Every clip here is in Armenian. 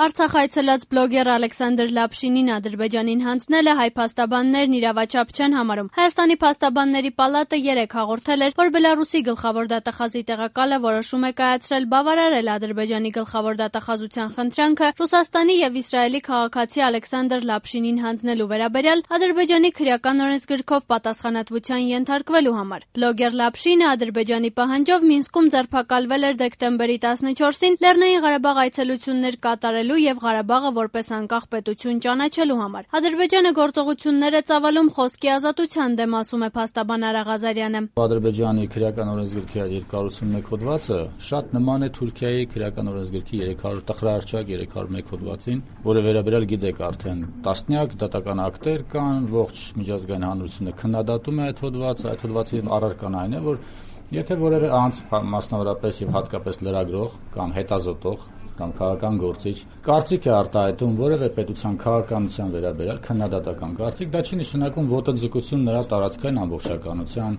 Արցախ այցելած բլոգեր Ալեքսանդր Լապշինին Ադրբեջանին հանձնելը հայ փաստաբաններն իրավաչափ չեն համարում։ Հայաստանի փաստաբանների պալատը 3 հաղորդել էր, որ Բելարուսի գլխավոր դատախազի տեղակալը որոշում է կայացրել բավարարել Ադրբեջանի գլխավոր դատախազության խնդրանքը Ռուսաստանի եւ Իսրայելի քաղաքացի Ալեքսանդր Լապշինին հանձնելու վերաբերյալ Ադրբեջանի քրեական օրենսգրքով պատասխանատվության ենթարկվելու համար։ Բլոգեր Լապշինը Ադրբեջանի պահանջով Մինսկում ձերբակալվել էր դեկտեմբերի 14-ին Լեռնային Ղարաբաղ այցելություններ կատարելու եւ Ղարաբաղը որպես անկախ պետություն ճանաչելու համար։ Ադրբեջանը գործողություններ է ծավալում խոսքի ազատության դեմ, ասում է փաստաբան Արա Ղազարյանը։ Ադրբեջանի քրեական օրենսգրքի 281 հոդվածը շատ նման է Թուրքիայի քրեական օրենսգրքի 300 տխրահարճակ 301 հոդվածին, որը վերաբերյալ գիտեք արդեն տասնյակ դատական ակտեր կան, ողջ միջազգային հանրությունը քննադատում է այդ հոդվածը, այդ հոդվածի առարկան այն է, որ եթե որևէ անձ, մասնավորապես եւ հատկապես լրագրող կամ հետազոտող կամ քաղաքական գործիչ կարծիք է արտահայտում որևէ պետության քաղաքականության վերաբերյալ քննադատական կարծիք, դա չի նշանակում ոտնձգություն նրա տարածքային ամբողջականության,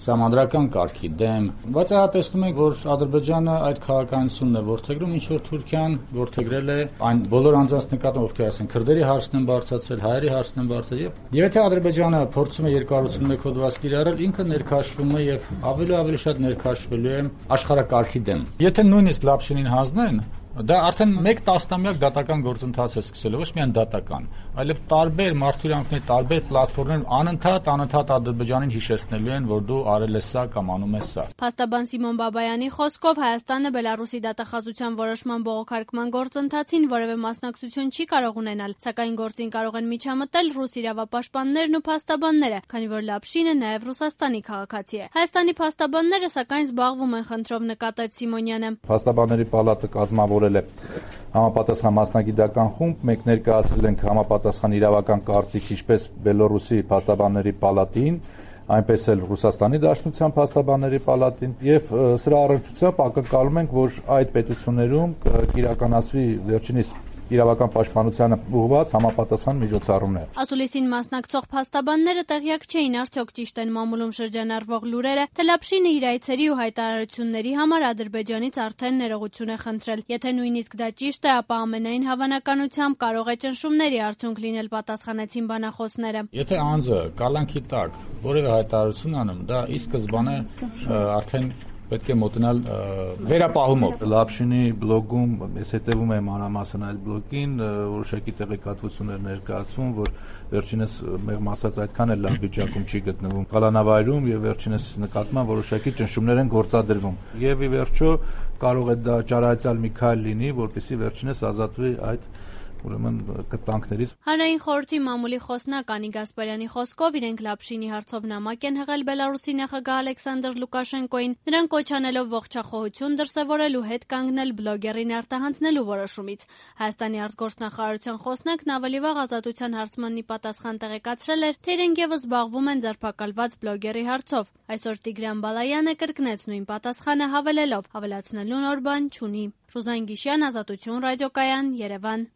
սահմանադրական կարգի դեմ, բայց ահա տեսնում ենք, որ Ադրբեջանը այդ քաղաքականությունն է որդեգրում, ինչ որ Թուրքիան որդեգրել է այն բոլոր անձանց նկատմամբ, ովքեր ասեն քրդերի հարցն են բարձրացրել, հայերի հարցն են բարձրացրել, եւ եթե Ադրբեջանը փորձում է 281 հոդված կիրառել, ինքը ներքաշվում է եւ ավելի շատ ներքաշվելու է աշխարհակարգի դեմ։ Եթե նույնիսկ Լապշինին հանձնեն, դա արդեն 1 տասնամյակ դատական գործընթաց է սկսել, ոչ միայն դատական, այլև տարբեր մարդուրանքների, տարբեր պլատֆորմներ անընդհատ Ադրբեջանին հիշեցնելու են, որ դու արել ես սա կամ անում ես սա։ Փաստաբան Սիմոն Բաբայանի խոսքով Հայաստանը Բելարուսի դատախազության որոշման բողոքարկման գործընթացին որևէ մասնակցություն չի կարող ունենալ, սակայն գործին կարող են միջամտել ռուս իրավապաշտպաններն ու փաստաբանները, քանի որ Լապշինը նաև Ռուսաստանի քաղաքացի է։ Հայաստանի փաստաբանները սակայն զբաղվում են խնդրով, նկատեց Սիմոնյանը։ Փաստաբանների պալատը կազմավորել է համապատասխան մասնագիտական խումբ, մենք ներկայացրել ենք համապատասխան իրավական կարծիք ինչպես Բելարուսի փաստաբանների պալատին, այնպես էլ Ռուսաստանի Դաշնության փաստաբանների պալատին եւ սրա առնչությամբ ակնկալում ենք, որ այդ պետություններում կիրականացվի վերջինիս իրավական պաշտպանությանը ուղղված համապատասխան միջոցառումներ։ Ասուլիսին մասնակցող փաստաբանները տեղյակ չէին արդյոք ճիշտ են մամուլում շրջանառվող լուրերը, թե Լապշինը իր այցերի ու հայտարարությունների համար Ադրբեջանից արդեն ներողություն է խնդրել։ Եթե նույնիսկ դա ճիշտ է, ապա ամենայն հավանականությամբ կարող է ճնշումների արդյունք լինել, պատասխանեցին բանախոսները։ Եթե անձը կալանքի տակ որևէ հայտարարություն անում, դա ի սկզբանե արդեն պետք է մոտնալ վերապահումով։ Լապշինի բլոգում ես հետևում եմ մանրամասն այդ բլոգին, որոշակի տեղեկատվություններ ներկայացվում, որ վերջինս մեղմ ասած այդքան էլ լավ վիճակում չի գտնվում կալանավայրում եւ վերջինս նկատմամբ որոշակի ճնշումներ են գործադրվում։ Եվ ի վերջո կարող է դա ճարայցալ մի քայլ լինի, որպեսզի վերջինս ազատվի այդ ուրեմն կտանքներից։ Հանրային խորհրդի մամուլի խոսնակ Անի Գասպարյանի խոսքով իրենք Լապշինի հարցով նամակ են հղել Բելարուսի նախագահ Ալեքսանդր Լուկաշենկոին, նրան կոչ անելով ողջախոհություն դրսևորել ու հետ կանգնել բլոգերին արտահանձնելու որոշումից։ Հայաստանի արտգործնախարարության խոսնակն ավելի վաղ Ազատության հարցմանի պատասխան տեղեկացրել էր, թե իրենք եւս զբաղվում են ձերբակալված բլոգերի հարցով։ Այսօր Տիգրան Բալայանը կրկնեց նույն պատասխանը հավելելով՝ ավելացնելու նոր բան չունի։ Ռուզան Գիշյան, Ազատություն ռադիոկայան, Երևան։